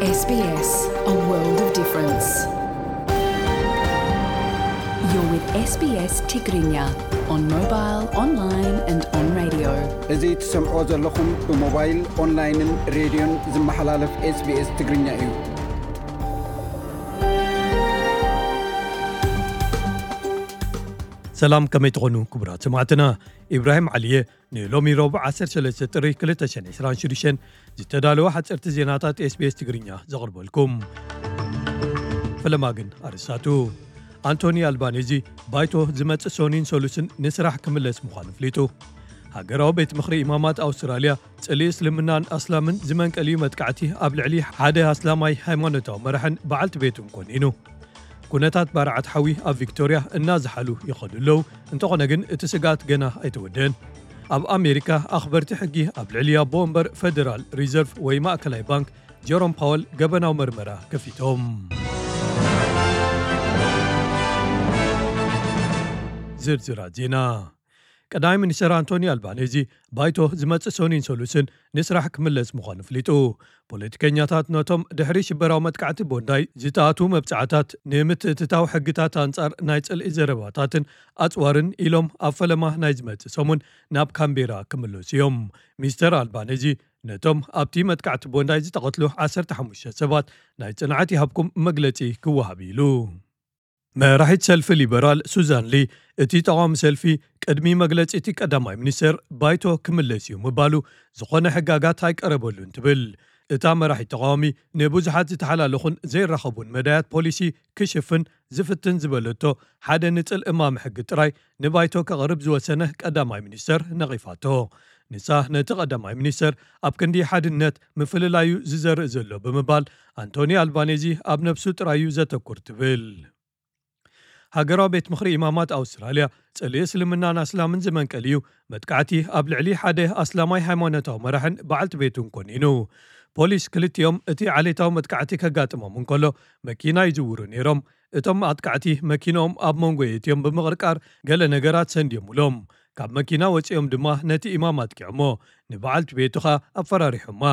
S B S, a world of difference. You're with S B S Tigrinya on mobile, online and on radio. እዚ ትሰምዖ ዘለኹም ብሞባይል፣ ኦንላይንን ሬድዮን ዝመሓላለፍ SBS ትግርኛ እዩ። ሰላም፣ ከመይ ትኾኑ ክቡራት ሰማዕትና? ኢብራሂም ዓሊየ ንሎሚ ረቡዕ ዓሰርተ ሰለስተ ጥሪ ክልተ ሽሕን ዕስራን ሽዱሽተን ዝተዳለወ ሓፀርቲ ዜናታት SBS ትግርኛ ዘቕርበልኩም። ፈለማ ግን ኣርእስታቱ። ኣንቶኒ ኣልባኔዚ ባይቶ ዝመጽእ ሰኑይን ሰሉስን ንስራሕ ክምለስ ምዃኑ ኣፍሊጡ። ሃገራዊ ቤት ምኽሪ ኢማማት ኣውስትራልያ ጽልኢ እስልምናን ኣስላምን ዝመንቀልዩ መጥቃዕቲ ኣብ ልዕሊ ሓደ ኣስላማይ ሃይማኖታዊ መራሕን በዓልቲ ቤቱን ኮኒኑ። ኩነታት ባርዓት ሓዊ ኣብ ቪክቶርያ እናዝሓሉ ይኸዱ ኣለዉ። እንተኾነ ግን እቲ ስግኣት ገና ኣይተወደአን። ኣብ ኣሜሪካ ኣኽበርቲ ሕጊ ኣብ ልዕሊ ኣቦ ወንበር ፌደራል ሪዘርቭ ወይ ማእከላይ ባንክ ጀሮም ፓወል ገበናዊ መርመራ ከፊቶም። ዝርዝራት ዜና። ቀዳማይ ሚኒስትር ኣንቶኒ ኣልባኔዚ ባይቶ ዝመጽእ ሰኑይን ሰሉስን ንስራሕ ክምለስ ምዃኑ ኣፍሊጡ። ፖለቲከኛታት ነቶም ድሕሪ ሽበራዊ መጥቃዕቲ ቦንዳይ ዝተኣትዉ መብጽዓታት ንምትእትታው ሕግታት ኣንጻር ናይ ጽልኢ ዘረባታትን ኣጽዋርን ኢሎም ኣብ ፈለማ ናይ ዝመጽእ ሰሙን ናብ ካምቤራ ክምለሱ እዮም። ሚስተር ኣልባኔዚ ነቶም ኣብቲ መጥቃዕቲ ቦንዳይ ዝተቐትሉ ዓሰርተ ሓሙሽተ ሰባት ናይ ጽንዓት ይሃብኩም መግለጺ ክወሃብ ኢሉ። መራሒት ሰልፊ ሊበራል ሱዛን ሊ፣ እቲ ተቓዋሚ ሰልፊ ቅድሚ መግለጺ እቲ ቀዳማይ ሚኒስተር ባይቶ ክምለስ እዩ ምባሉ ዝኾነ ሕጋጋት ኣይቀረበሉን ትብል። እታ መራሒት ተቓዋሚ ንብዙሓት ዝተሓላለኹን ዘይራኸቡን መዳያት ፖሊሲ ክሽፍን ዝፍትን ዝበለቶ ሓደ ንጽል እማመ ሕጊ ጥራይ ንባይቶ ከቕርብ ዝወሰነ ቀዳማይ ሚኒስተር ነቒፋቶ። ንሳ ነቲ ቀዳማይ ሚኒስተር ኣብ ክንዲ ሓድነት ምፍልላዩ ዝዘርእ ዘሎ ብምባል ኣንቶኒ ኣልባኔዚ ኣብ ነብሱ ጥራዩ ዘተኩር ትብል። ሃገራዊ ቤት ምኽሪ ኢማማት ኣውስትራልያ ጽልኢ እስልምናን ኣስላምን ዝመንቀል እዩ። መጥቃዕቲ ኣብ ልዕሊ ሓደ ኣስላማይ ሃይማኖታዊ መራሕን በዓልቲ ቤቱን ኮኒኑ። ፖሊስ ክልቲኦም እቲ ዓሌታዊ መጥቃዕቲ ከጋጥሞም እንከሎ መኪና ይዝውሩ ነይሮም። እቶም ኣጥቃዕቲ መኪንኦም ኣብ መንጎ የእትዮም ብምቕርቃር ገለ ነገራት ሰንድዮምሎም። ካብ መኪና ወጺኦም ድማ ነቲ ኢማም ኣጥቂዖሞ፣ ንበዓልቲ ቤቱ ኸኣ ኣፈራሪሖማ።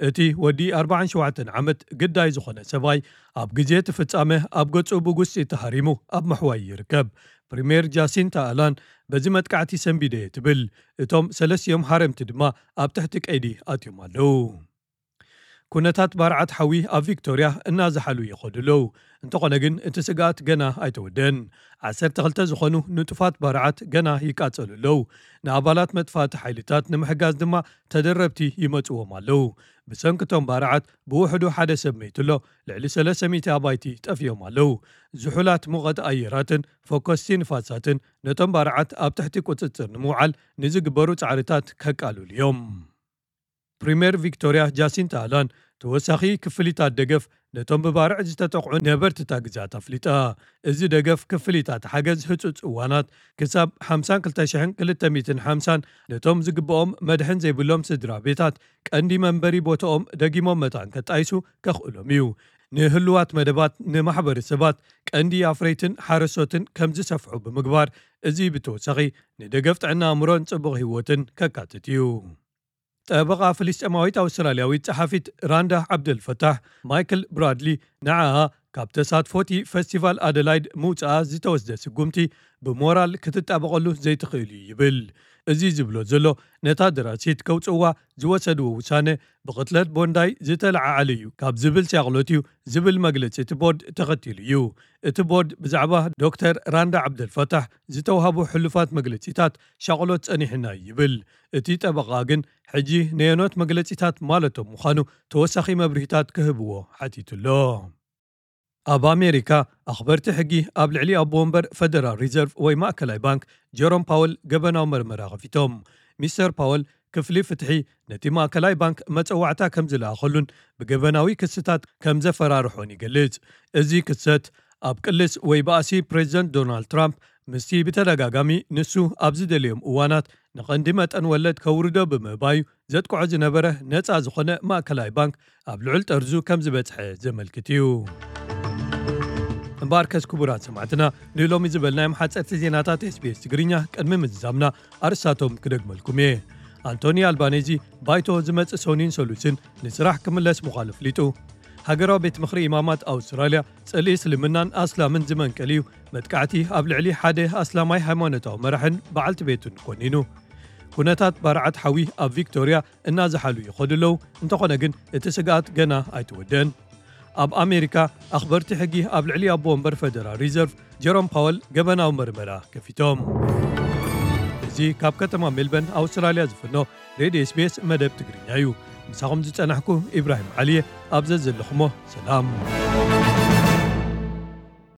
እቲ ወዲ ኣርባዓን ሸውዓተን ዓመት ግዳይ ዝኾነ ሰብኣይ ኣብ ግዜ እቲ ፍጻመ ኣብ ገጹ ብጉስጢ ተሃሪሙ ኣብ ምሕዋይ ይርከብ። ፕሪምየር ጃሲንታ ኣላን በዚ መጥቃዕቲ ሰንቢደ እየ ትብል። እቶም ሰለስቲኦም ሃረምቲ ድማ ኣብ ትሕቲ ቀይዲ ኣትዮም ኣለዉ። ኩነታት ባርዓት ሓዊ ኣብ ቪክቶርያ እናዝሓሉ ይኸዱ ኣለዉ። እንተኾነ ግን እቲ ስግኣት ገና ኣይተወደን። ዓሰርተ ክልተ ዝኾኑ ንጡፋት ባርዓት ገና ይቃጸሉ ኣለዉ። ንኣባላት መጥፋእቲ ሓይልታት ንምሕጋዝ ድማ ተደረብቲ ይመጽዎም ኣለዉ። ብሰንኪ እቶም ባርዓት ብውሕዱ ሓደ ሰብ መይቱ ኣሎ። ልዕሊ ሰለስተ ሚእቲ ኣባይቲ ጠፊኦም ኣለዉ። ዝሑላት ሙቐት ኣየራትን ፈኮስቲ ንፋሳትን ነቶም ባርዓት ኣብ ትሕቲ ቁጽጽር ንምውዓል ንዝግበሩ ጻዕርታት ከቃልሉ እዮም። ፕሪምየር ቪክቶርያ ጃሲንታ ኣላን ተወሳኺ ክፍሊታት ደገፍ ነቶም ብባርዕ ዝተጠቕዑ ነበርቲ እታ ግዝኣት ኣፍሊጣ። እዚ ደገፍ ክፍሊታት ሓገዝ ህጹጽ እዋናት ክሳብ ሓምሳን ክልተ ሽሕን ክልተ ሚእትን ሓምሳን ነቶም ዝግብኦም መድሕን ዘይብሎም ስድራ ቤታት ቀንዲ መንበሪ ቦታኦም ደጊሞም መታን ከጣይሱ ከኽእሎም እዩ። ንህሉዋት መደባት ንማሕበረሰባት ቀንዲ ኣፍረይትን ሓረሶትን ከም ዝሰፍሑ ብምግባር፣ እዚ ብተወሳኺ ንደገፍ ጥዕና ኣእምሮን ጽቡቕ ህይወትን ከካትት እዩ። ጠበቓ ፍልስጤማዊት ኣውስትራልያዊት ጸሓፊት ራንዳ ዓብደልፈታሕ፣ ማይክል ብራድሊ፣ ንዓኣ ካብ ተሳትፎ እቲ ፈስቲቫል ኣደላይድ ምውጽኣ ዝተወስደ ስጉምቲ ብሞራል ክትጣበቐሉ ዘይትኽእል እዩ ይብል። እዚ ዝብሎ ዘሎ፣ ነታ ደራሲት ከውጽእዋ ዝወሰድዎ ውሳነ ብቕትለት ቦንዳይ ዝተለዓዓለ እዩ ካብ ዝብል ሻቕሎት እዩ ዝብል መግለጺ እቲ ቦርድ ተኸቲሉ እዩ። እቲ ቦርድ ብዛዕባ ዶክተር ራንዳ ዓብደልፈታሕ ዝተውሃቡ ሕሉፋት መግለጺታት ሻቕሎት ጸኒሕና እዩ ይብል። እቲ ጠበቓ ግን ሕጂ ነየኖት መግለጺታት ማለቶም ምዃኑ ተወሳኺ መብርሂታት ክህብዎ ሓቲቱ ኣሎ። ኣብ ኣሜሪካ ኣኽበርቲ ሕጊ ኣብ ልዕሊ ኣቦ ወንበር ፈደራል ሪዘርቭ ወይ ማእከላይ ባንክ ጀሮም ፓወል ገበናዊ መርመራ ከፊቶም። ሚስተር ፓወል ክፍሊ ፍትሒ ነቲ ማእከላይ ባንክ መጸዋዕታ ከም ዝለኣኸሉን ብገበናዊ ክስታት ከም ዘፈራርሖን ይገልጽ። እዚ ክሰት ኣብ ቅልስ ወይ ባእሲ ፕሬዚደንት ዶናልድ ትራምፕ ምስቲ ብተደጋጋሚ ንሱ ኣብ ዝደልዮም እዋናት ንቐንዲ መጠን ወለድ ከውርዶ ብምእባዩ ዘጥቅዖ ዝነበረ ነጻ ዝኾነ ማእከላይ ባንክ ኣብ ልዑል ጠርዙ ከም ዝበጽሐ ዘመልክት እዩ። እምበኣርከስ ክቡራት ሰማዕትና፣ ንሎሚ ዝበልናዮም ሓጸርቲ ዜናታት SBS ትግርኛ ቅድሚ ምዝዛምና ኣርእስታቶም ክደግመልኩም እየ። ኣንቶኒ ኣልባኔዚ ባይቶ ዝመጽእ ሰኑይን ሰሉስን ንስራሕ ክምለስ ምዃኑ ኣፍሊጡ። ሃገራዊ ቤት ምኽሪ ኢማማት ኣውስትራልያ፣ ጽልኢ እስልምናን ኣስላምን ዝመንቀል እዩ፣ መጥቃዕቲ ኣብ ልዕሊ ሓደ ኣስላማይ ሃይማኖታዊ መራሕን በዓልቲ ቤቱን ኮኒኑ። ኩነታት ባርዓት ሓዊ ኣብ ቪክቶርያ እናዝሓሉ ይኸዱ ኣለዉ፣ እንተኾነ ግን እቲ ስግኣት ገና ኣይተወደአን። ኣብ ኣሜሪካ፣ ኣኽበርቲ ሕጊ ኣብ ልዕሊ ኣቦ ወንበር ፈደራል ሪዘርቭ ጀሮም ፓወል ገበናዊ መርመራ ከፊቶም። እዚ ካብ ከተማ ሜልበርን ኣውስትራልያ ዝፍኖ ሬድዮ ኤስቢኤስ መደብ ትግርኛ እዩ። ምሳኹም ዝጸናሕኩ ኢብራሂም ዓሊየ፣ ኣብ ዘዘለኹሞ ሰላም።